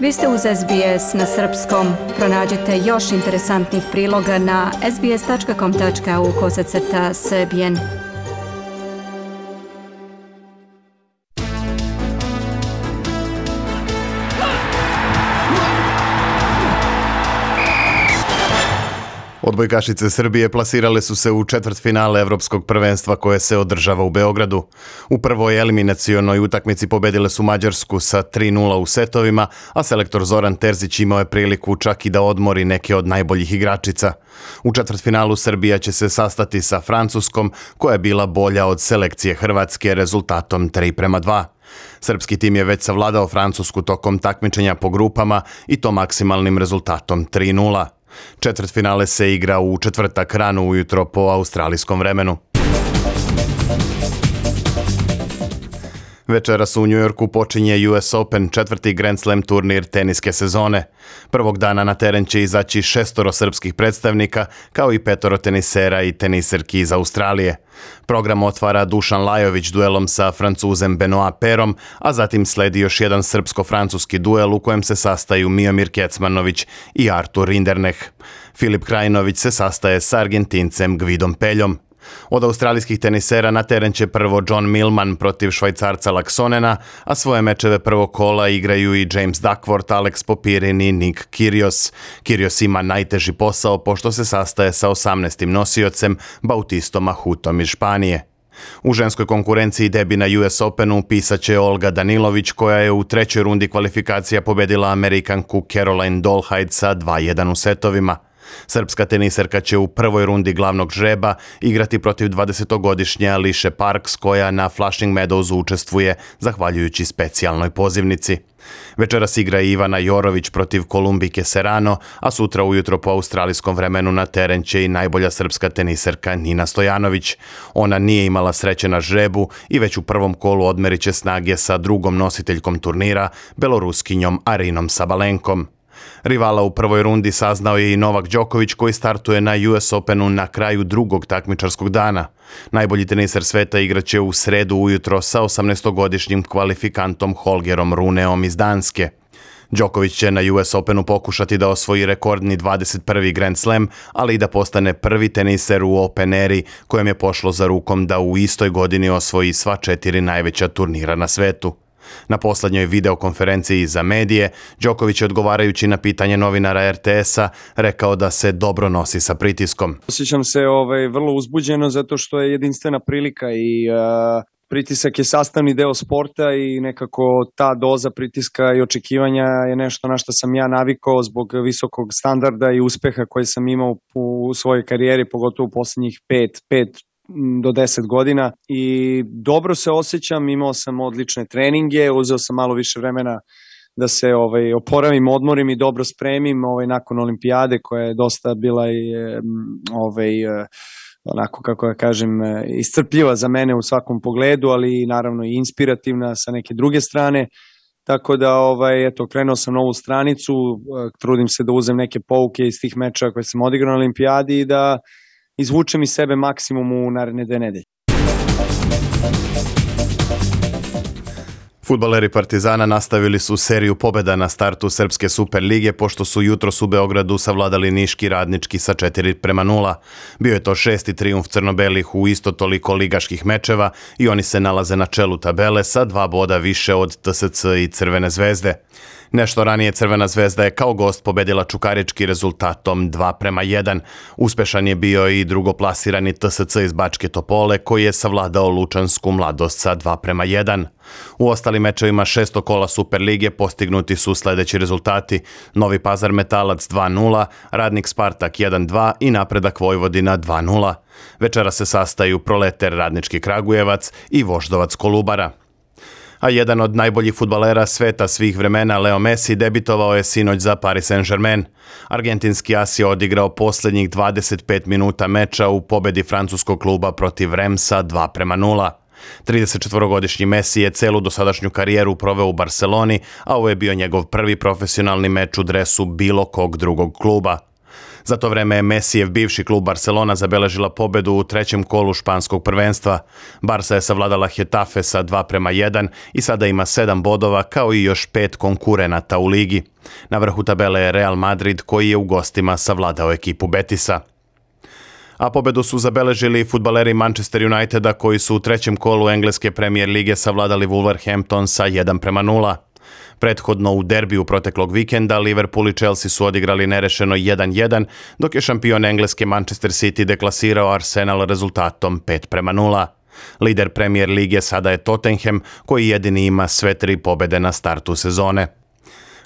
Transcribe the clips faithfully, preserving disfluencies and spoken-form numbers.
Vi ste uz S B S na srpskom. Pronađite još interesantnih priloga na sbs.com.au kosacrta srbijen. Odbojkašice Srbije plasirale su se u četvrtfinale Evropskog prvenstva koje se održava u Beogradu. U prvoj eliminacionoj utakmici pobedile su Mađarsku sa tri nula u setovima, a selektor Zoran Terzić imao je priliku čak i da odmori neke od najboljih igračica. U četvrtfinalu Srbija će se sastati sa Francuskom, koja je bila bolja od selekcije Hrvatske rezultatom tri prema dva. Srpski tim je već savladao Francusku tokom takmičenja po grupama i to maksimalnim rezultatom tri nula. Četvrtfinale se igra u četvrtak rano ujutro po australijskom vremenu. Večeras u Njujorku počinje U S Open, četvrti Grand Slam turnir teniske sezone. Prvog dana na teren će izaći šestoro srpskih predstavnika, kao i petoro tenisera i teniserki iz Australije. Program otvara Dušan Lajović duelom sa Francuzem Benoit Pairom, a zatim sledi još jedan srpsko-francuski duel u kojem se sastaju Miomir Kecmanović i Artur Rinderknech. Filip Krajinović se sastaje sa Argentincem Gvidom Peljom. Od australijskih tenisera na teren će prvo John Millman protiv Švajcarca Laksonena, a svoje mečeve prvog kola igraju i James Duckworth, Alex Popirin i Nick Kyrgios. Kyrgios ima najteži posao pošto se sastaje sa osamnaestim nosiocem Bautistom Ahutom iz Španije. U ženskoj konkurenciji debi na U S Openu pisaće Olga Danilović, koja je u trećoj rundi kvalifikacija pobedila Amerikanku Caroline Dolehide sa dva jedan u setovima. Srpska teniserka će u prvoj rundi glavnog žreba igrati protiv dvadesetogodišnje Ališe Parks, koja na Flushing Meadowsu učestvuje zahvaljujući specijalnoj pozivnici. Večeras igra Ivana Jorović protiv Kolumbike Serrano, a sutra ujutro po australijskom vremenu na teren će i najbolja srpska teniserka Nina Stojanović. Ona nije imala sreće na žrebu i već u prvom kolu odmerit će snage sa drugom nositeljkom turnira, Beloruskinjom Arinom Sabalenkom. Rivala u prvoj rundi saznao je i Novak Đoković, koji startuje na U S Openu na kraju drugog takmičarskog dana. Najbolji teniser sveta igraće u sredu ujutro sa osamnaestogodišnjim kvalifikantom Holgerom Runeom iz Danske. Đoković će na U S Openu pokušati da osvoji rekordni dvadeset prvi Grand Slam, ali i da postane prvi teniser u Open eri, kojem je pošlo za rukom da u istoj godini osvoji sva četiri najveća turnira na svetu. Na poslednjoj videokonferenciji za medije, Đoković je odgovarajući na pitanje novinara R T S-a rekao da se dobro nosi sa pritiskom. Osjećam se ovaj, vrlo uzbuđeno zato što je jedinstvena prilika i uh, pritisak je sastavni deo sporta i nekako ta doza pritiska i očekivanja je nešto na što sam ja navikao zbog visokog standarda i uspeha koji sam imao u svojoj karijeri, pogotovo u poslednjih pet, pet do deset godina i dobro se osjećam, imao sam odlične treninge, uzeo sam malo više vremena da se ovaj, oporavim, odmorim i dobro spremim ovaj, nakon olimpijade koja je dosta bila i ovaj, onako kako ja kažem iscrpljiva za mene u svakom pogledu, ali naravno i inspirativna sa neke druge strane. Tako da, ovaj, eto, krenuo sam novu stranicu, trudim se da uzem neke pouke iz tih mečeva koje sam odigrao na olimpijadi i da izvučem iz sebe maksimum u naredne dve nedelje. Fudbaleri Partizana nastavili su seriju pobjeda na startu Srpske Super lige, pošto su jutros u Beogradu savladali Niški Radnički sa četiri prema nula. Bio je to šesti trijumf crno-belih u isto toliko ligaških mečeva i oni se nalaze na čelu tabele sa dva boda više od T S C i Crvene zvezde. Nešto ranije Crvena zvezda je kao gost pobedila Čukarički rezultatom dva prema jedan. Uspešan je bio i drugoplasirani T S C iz Bačke Topole, koji je savladao Lučansku Mladost sa dva prema jedan. U ostalim mečevima šestog kola Super lige postignuti su sledeći rezultati: Novi Pazar Metalac dva nula, Radnik Spartak jedan dva i Napredak Vojvodina dva nula. Večera se sastaju Proleter Radnički Kragujevac i Voždovac Kolubara. A jedan od najboljih fudbalera sveta svih vremena, Leo Messi, debitovao je sinoć za Paris Saint-Germain. Argentinski as je odigrao posljednjih dvadeset pet minuta meča u pobedi francuskog kluba protiv Remsa dva prema nula. tridesetčetvorogodišnji Messi je celu dosadašnju karijeru proveo u Barceloni, a ovo je bio njegov prvi profesionalni meč u dresu bilo kog drugog kluba. Za to vreme je Messijev bivši klub Barcelona zabeležila pobedu u trećem kolu španskog prvenstva. Barsa je savladala Hetafe sa dva prema jedan i sada ima sedam bodova kao i još pet konkurenata u ligi. Na vrhu tabele je Real Madrid koji je u gostima savladao ekipu Betisa. A pobedu su zabeležili fudbaleri Manchester Uniteda koji su u trećem kolu engleske Premier lige savladali Wolverhampton sa jedan prema nula. Prethodno u derbiju proteklog vikenda Liverpool i Chelsea su odigrali nerešeno jedan jedan, dok je šampion engleske Manchester City deklasirao Arsenal rezultatom pet prema nula. Lider Premier lige sada je Tottenham koji jedini ima sve tri pobede na startu sezone.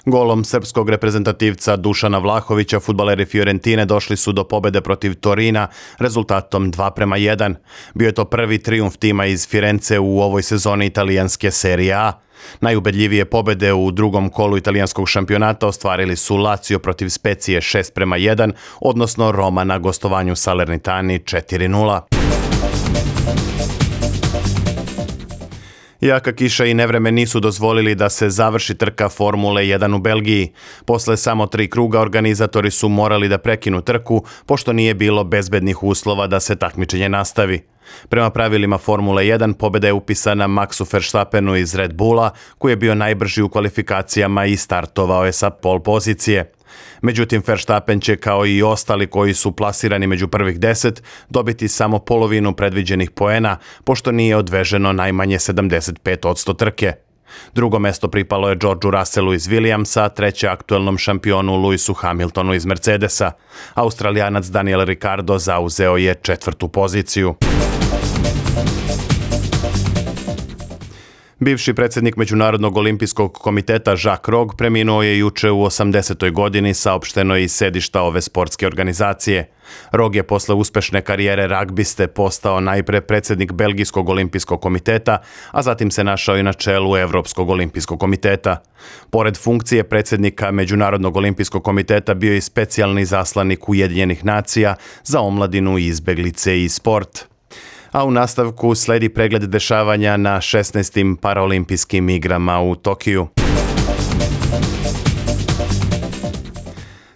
Golom srpskog reprezentativca Dušana Vlahovića fudbaleri Fiorentine došli su do pobede protiv Torina rezultatom dva prema jedan. Bio je to prvi trijumf tima iz Firence u ovoj sezoni italijanske Serije A. Najubedljivije pobede u drugom kolu italijanskog šampionata ostvarili su Lazio protiv Specije šest prema jedan, odnosno Roma na gostovanju Salernitani četiri nula. Jaka kiša i nevreme nisu dozvolili da se završi trka Formule jedan u Belgiji. Posle samo tri kruga organizatori su morali da prekinu trku, pošto nije bilo bezbednih uslova da se takmičenje nastavi. Prema pravilima Formule jedan pobeda je upisana Maxu Verstappenu iz Red Bulla, koji je bio najbrži u kvalifikacijama i startovao je sa pol pozicije. Međutim, Verstappen će kao i ostali koji su plasirani među prvih deset dobiti samo polovinu predviđenih poena, pošto nije odveženo najmanje sedamdeset pet posto trke. Drugo mesto pripalo je Georgeu Russellu iz Williamsa, treće aktuelnom šampionu Lewisu Hamiltonu iz Mercedesa. Australijanac Daniel Ricciardo zauzeo je četvrtu poziciju. Bivši predsjednik Međunarodnog olimpijskog komiteta Jacques Rogge preminuo je juče u osamdesetoj godini, saopšteno iz sedišta ove sportske organizacije. Rogge je posle uspešne karijere ragbiste postao najpre predsjednik Belgijskog olimpijskog komiteta, a zatim se našao i na čelu Evropskog olimpijskog komiteta. Pored funkcije predsjednika Međunarodnog olimpijskog komiteta bio je i specijalni zaslanik Ujedinjenih nacija za omladinu, izbeglice i sport. A u nastavku sledi pregled dešavanja na šesnaestim paraolimpijskim igrama u Tokiju.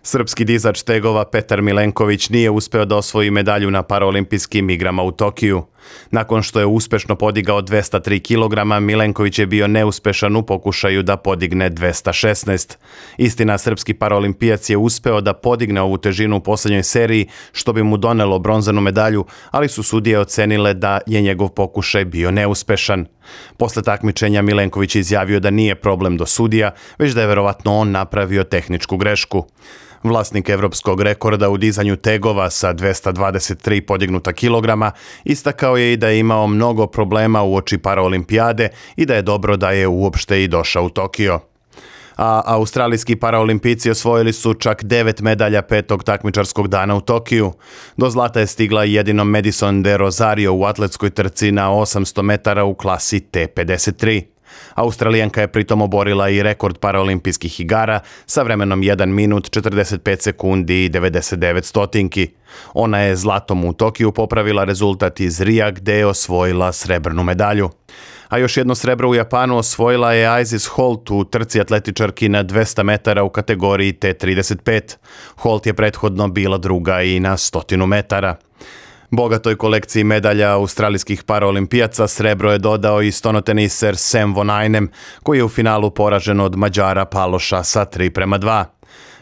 Srpski dizač tegova Petar Milenković nije uspeo da osvoji medalju na paraolimpijskim igrama u Tokiju. Nakon što je uspešno podigao dvesta tri kilograma, Milenković je bio neuspešan u pokušaju da podigne dvesta šesnaest. Istina, srpski paraolimpijac je uspeo da podigne ovu težinu u posljednjoj seriji, što bi mu donelo bronzanu medalju, ali su sudije ocenile da je njegov pokušaj bio neuspešan. Posle takmičenja Milenković je izjavio da nije problem do sudija, već da je verovatno on napravio tehničku grešku. Vlasnik evropskog rekorda u dizanju tegova sa dvesta dvadeset tri podignuta kilograma istakao je i da je imao mnogo problema uoči paraolimpijade i da je dobro da je uopšte i došao u Tokio. A australijski paraolimpijci osvojili su čak devet medalja petog takmičarskog dana u Tokiju. Do zlata je stigla jedino Madison de Rosario u atletskoj trci na osamsto metara u klasi T pedeset tri. Australijanka je pritom oborila i rekord paraolimpijskih igara sa vremenom jedan minut četrdeset pet sekundi i devedeset devet stotinki. Ona je zlatom u Tokiju popravila rezultat iz Rija gde je osvojila srebrnu medalju. A još jedno srebro u Japanu osvojila je Isis Holt u trci atletičarki na dvesta metara u kategoriji T trideset pet. Holt je prethodno bila druga i na stotinu metara. Bogatoj kolekciji medalja australijskih paraolimpijaca srebro je dodao i stonoteniser Sam Vonajnem, koji je u finalu poražen od Mađara Paloša sa tri prema dva.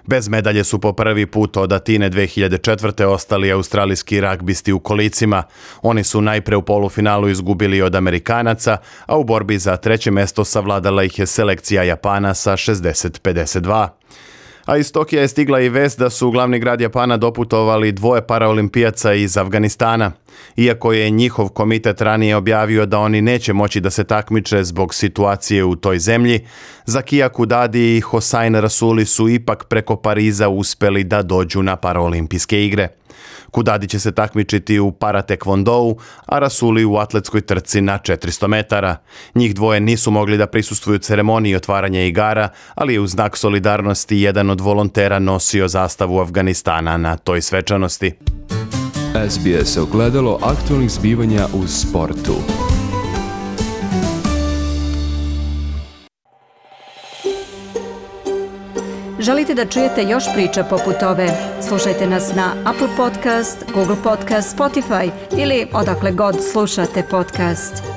Bez medalje su po prvi put od Atine dve hiljade četvrte ostali australijski ragbisti u kolicima. Oni su najpre u polufinalu izgubili od Amerikanaca, a u borbi za treće mesto savladala ih je selekcija Japana sa šezdeset pedeset dva. A iz Tokija je stigla i vest da su u glavni grad Japana doputovali dvoje paraolimpijaca iz Afganistana. Iako je njihov komitet ranije objavio da oni neće moći da se takmiče zbog situacije u toj zemlji, Zakija Kudadi i Hossein Rasuli su ipak preko Pariza uspeli da dođu na paraolimpijske igre. Kudadi će se takmičiti u paratekvondou, a Rasuli u atletskoj trci na četiristo metara. Njih dvoje nisu mogli da prisustvuju ceremoniji otvaranja igara, ali je u znak solidarnosti jedan od volontera nosio zastavu Afganistana na toj svečanosti. S B S ogledalo aktualnih zbivanja u sportu. Želite da čujete još priča poput ove? Slušajte nas na Apple Podcast, Google Podcast, Spotify ili odakle god slušate podcast.